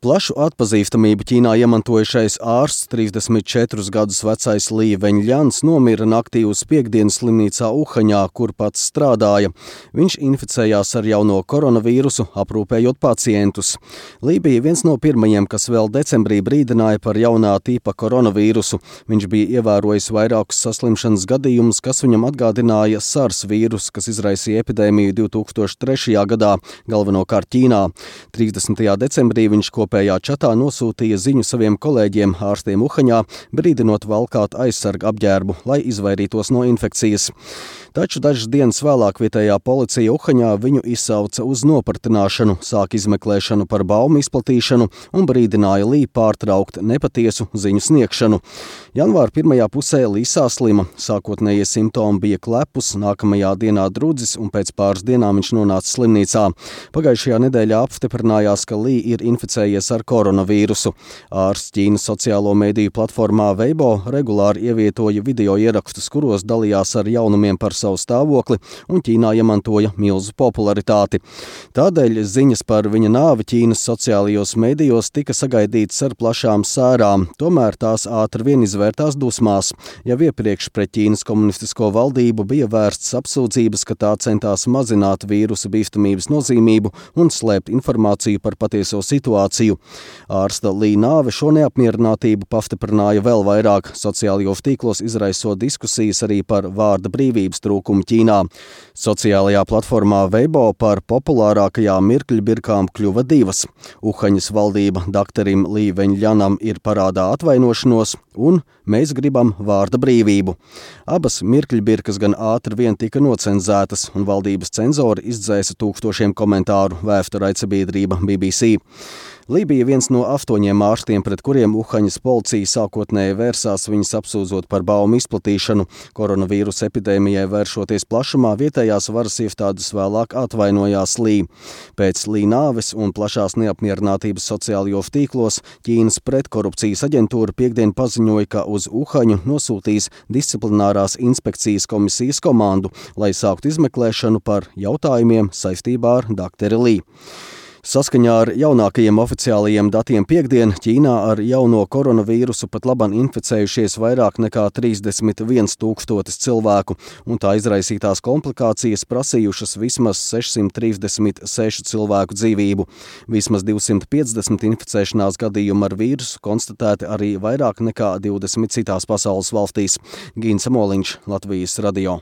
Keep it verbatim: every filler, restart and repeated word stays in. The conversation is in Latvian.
Plašu atpazīstamību Ķīnā iemantojušais ārsts, trīsdesmit četrus gadus vecais Lī Veņļans, nomira naktī uz piektdienu slimnīcā Uhaņā, kur pats strādāja. Viņš inficējās ar jauno koronavīrusu, aprūpējot pacientus. Lī bija viens no pirmajiem, kas vēl decembrī brīdināja par jaunā tipa koronavīrusu. Viņš bija ievērojis vairākus saslimšanas gadījumus, kas viņam atgādināja SARS vīrusu, kas izraisīja epidēmiju divi tūkstoši trešajā gadā, galvenokārt Ķīnā. trīsdesmitajā decembrī viņš kopējā čatā nosūtīja ziņu saviem kolēģiem ārstiem Uhaņā, brīdinot valkāt aizsarga apģērbu, lai izvairītos no infekcijas. Taču dažas dienas vēlāk vietējā policija Uhaņā viņu izsauca uz nopratināšanu, sāk izmeklēšanu par baumu izplatīšanu un brīdināja Lī pārtraukt nepatiesu ziņu sniegšanu. Janvāra pirmajā pusē Lī sāslima. Sākotnējie simptomi bija klepus, nākamajā dienā drudzis un pēc pāris dienām viņš nonāca slimnīcā. Pagājušajā nedēļā apstiprinājās, ka Lī ir inficējies ar koronavīrusu. Ārsts Ķīnas sociālo mediju platformā Weibo regulāri ievietoja video ierakstus, kuros dalījās ar jaunumiem par savu stāvokli un Ķīnā iemantoja milzu popularitāti. Tādēļ ziņas par viņa nāvi Ķīnas sociālajos medijos tika sagaidītas ar plašām sērām, tomēr tās ātri vien izvērtās dusmās. Jau iepriekš pret Ķīnas komunistisko valdību bija vērstas apsūdzības, ka tā centās mazināt vīrusa bīstamības nozīmību un slēpt informāciju par patieso situāciju. Ārsta Lī nāve šo neapmierinātību pastiprināja vēl vairāk, sociālajos tīklos izraisot diskusijas arī par vārda brīvības trūkumu Ķīnā. Sociālajā platformā Weibo par populārākajām mirkļbirkām kļuva divas. Uhaņas valdība doktorim Lī Veņļanam ir parādā atvainošanos un mēs gribam vārda brīvību. Abas mirkļbirkas gan ātri vien tika nocenzētas un valdības cenzori izdzēsa tūkstošiem komentāru, vēsta raidsabiedrība B B C. Lī bija viens no astoņiem ārstiem, pret kuriem Uhaņas policija sākotnēji vērsās, viņus apsūdzot par baumu izplatīšanu. Koronavīrusa epidēmijai vēršoties plašumā, vietējās varas iestādes vēlāk atvainojās Lī. Pēc Lī nāves un plašās neapmierinātības sociālajos tīklos Ķīnas pretkorupcijas aģentūra piektdien paziņoja, ka uz Uhaņu nosūtīs disciplinārās inspekcijas komisijas komandu, lai sāktu izmeklēšanu par jautājumiem saistībā ar doktori Lī. Saskaņā ar jaunākajiem oficiālajiem datiem piektdien Ķīnā ar jauno koronavīrusu pat labam inficējušies vairāk nekā trīsdesmit viens tūkstotis cilvēku, un tā izraisītās komplikācijas prasījušas vismaz sešsimt trīsdesmit sešu cilvēku dzīvību. Vismaz divsimt piecdesmit inficēšanās gadījumu ar vīrusu konstatēti arī vairāk nekā divdesmit citās pasaules valstīs. Gīns Amoliņš, Latvijas radio.